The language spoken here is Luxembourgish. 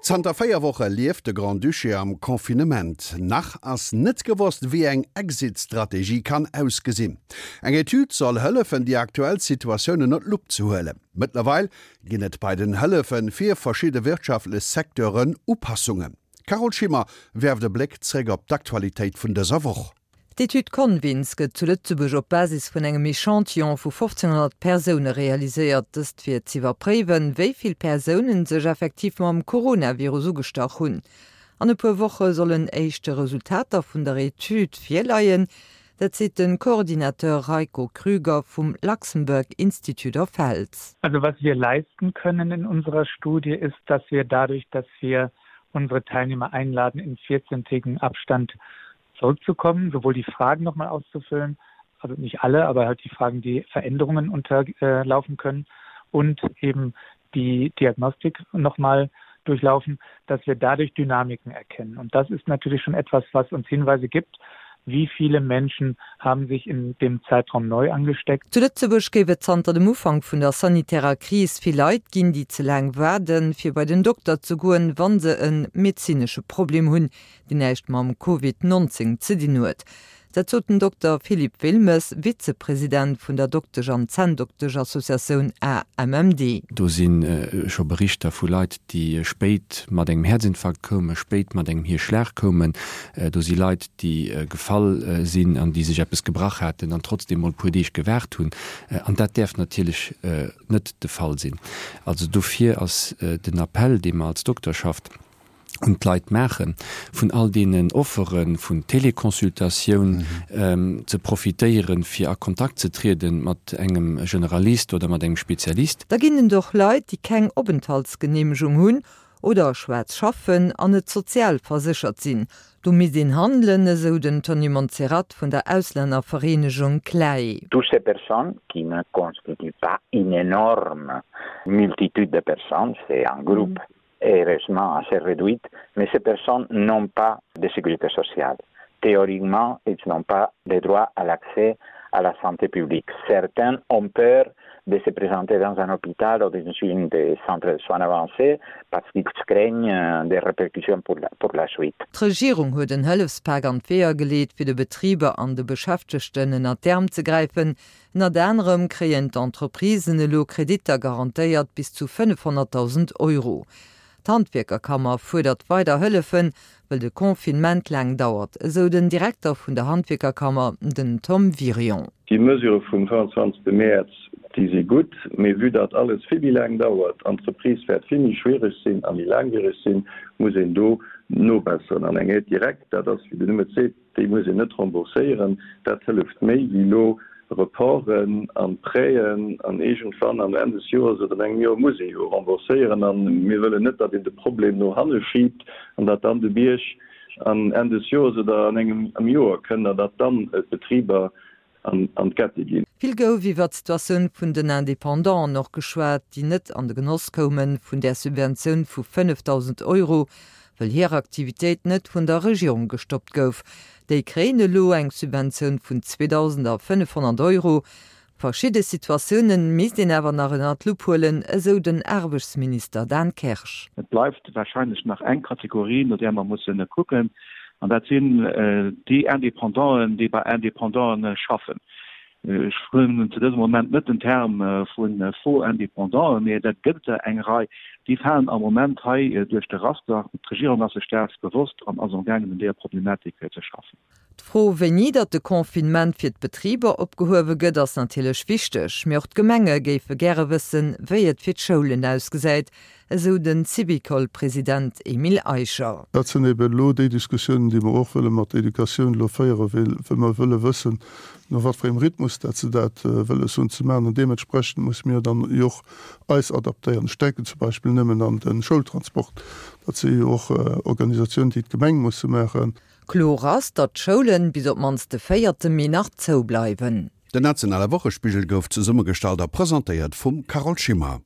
Zanter 4 Woche lieft de Grand-Duché am Confinement. Nach ass net gewosst, wéi eng Exit-Strategie kann ausgesinn. Eng Etüd soll hëllefen, déi aktuell Situatioun ënner d'Lupp ze huelen. Mëttlerweil ginn et bei den Hëllefe fir verschidde wirtschaftlech Secteuren Upassungen. D'Carole Schimmer werft e Bléck zréck op d'Aktualitéit vun dëser Woch. D'Etüd Convins gëtt zu Lëtzebuerg op Basis vun engem Echantillon vu 1.500 Persoune realiséiert. Dëst fir z'iwwerpréiwen, wéi vill Persounen sech effektiv mam Coronavirus ugestach hunn. An e puer Woche sollen éischte Resultater vun der Etüd virleien. Dat seet de Coordinateur Rajko Krüger vum Luxembourg Institute of Health. Also was wir leisten können in unserer Studie ist, dass wir dadurch, dass wir unsere Teilnehmer einladen, in 14-tägigen Abstand zurückzukommen, sowohl die Fragen noch mal auszufüllen, also nicht alle, aber halt die Fragen, die Veränderungen unterlaufen können und eben die Diagnostik noch mal durchlaufen, dass wir dadurch Dynamiken erkennen. Und das ist natürlich schon etwas, was uns Hinweise gibt, wie viele Menschen haben sich in dem Zeitraum neu angesteckt. Zu Lëtzebuerg géif et zanter dem Ufank vun der sanitärer Kris vill Leit ginn, déi ze laang waarden, fir bei den Dokter ze goen, wa se e medezinesche Problem hunn. déi näischt mam Covid 19 ze dinn huet. Dat sot den Dokter Philippe Wilmes, Vizepresident vun der Doktesch an Zänndoktesch-Associatioun AMMD. Do si scho Berichter vu Leit, déi spéit mat engem Häerzinfarkt koumen, spéit mat engem Hierschlag koumen. Do si Leit, déi gefall sinn an déi sech eppes gebrach haten an trotzdeem mol e puer Deeg gewaart hunn. An dat däerf natierlech net de Fall sinn. Also dofir ass den Appell, dee mer als Dokterschaft un d'Leit maachen, vun all deenen Offere vun Téléconsultatioun ze profitéieren, fir a Kontakt ze trieden mat engem Generalist oder mat engem Spezialist. Da ginn et och Leit, déi keng Openthaltsgeneemegung hunn oder schwaarz schaffen an net sozialverséchert sinn. Do misst een handelen, esou den Tony Monserrat vun der Auslännervereenegung CLAE. Toutes ces personnes qui ne constituent pas une énorme multitude de personnes, c'est un groupe heureusement assez réduite, mais ces personnes n'ont pas de sécurité sociale. Théoriquement, ils n'ont pas de droit à l'accès à la santé publique. Certains ont peur de se présenter dans un hôpital ou dans une des centres de soins avancés parce qu'ils craignent euh, des répercussions pour la, pour la suite. D'Regierung huet en Hëllefspak an d'Weeër geleet, fir de Betriber an de Beschäftegten ënner d'Äerm ze gräifen. Ënnert anerem kréien d'Entreprisen elo Kreditter garantéiert bis zu 500.000 Euro. D'Handwierkerkammer fuerdert weider Hëllefen, wëll de Confinement laang dauert, esou den Direkter vun der Handwierkerkammer, den Tom Wirion. Déi Mesure vum 25 Mäerz, déi si gutt, mee vue datt alles vill méi laang dauert, d'Entreprise wäert vill méi schwiereg sinn a méi laangwiereg sinn, muss een do nobesseren. An eng Aide directe, dat ass, wéi den Numm et seet, Déi muss een net rembourséieren. Dat hëlleft méi wéi elo Reporten an Prêten an iergendwann am Enn des Joers oder an engem Joer muss ee jo rembourséieren. A mir wëllen net, datt een de Problem no hanne schiibt an datt dann de Bierg an Enn des Joers oder an engem Joer kënnt an datt dann d'Betriber an d'Gette ginn. Vill gouf iwwer d'Situatioun vun den Independanten och geschwat, déi net an de Genoss koume vun där Subventioun vu 5.000 Euro, wëll hir Aktivitéit net vun der Regierung gestoppt gouf. Déi kréien elo eng Subventioun vun 2.500 Euro. Verschidde Situatioune misst een awer nach ënner d'Lupp huelen, esou den Aarbechtsminister Dan Kersch. Et bleift warscheinlech nach eng Kategorie, no där mer mussen kucken, an dat sinn déi Indépendanten, déi bei Indépendanten schaffen. Ech hunn zu dësem Moment net den Term vu faux Indépendanten, mee dat gëtt et der eng Rei. Déi falen am Moment hei duerch de Raster. D'Regierung ass sech däers bewosst an ass amgaangen, un deeër Problematik ze schaffen. D'Fro, wéini datt de Confinement fir d'Betriber opgehuewe gëtt, ass natierlech wichteg. Mee och d'Gemenge géife gäre wëssen, wéi et fir d'Schoulen ausgesäit, esou de Syvicol-President Emile Eicher. Dat sinn eben elo déi Diskussiounen, déi mer och wëlle mat der Educatioun elo féieren, well mer wëlle wëssen, no wat fir engem Rhythmus dat se dat wëlles hunn ze maachen. An deementsprechend musse mir dann jo och eis adaptéieren. Ech denken zum Beispill nëmmen an de Schoultransport. Dat si jo och Organisatiounen, déi d'Gemeng musse maachen. Kloer ass, datt d'Schoulen bis op d'mannst de véierte Mee nach zou bleiwen. Den nationale Wochespigel gouf zesummegestallt a presentéiert vum Carole Schimmer.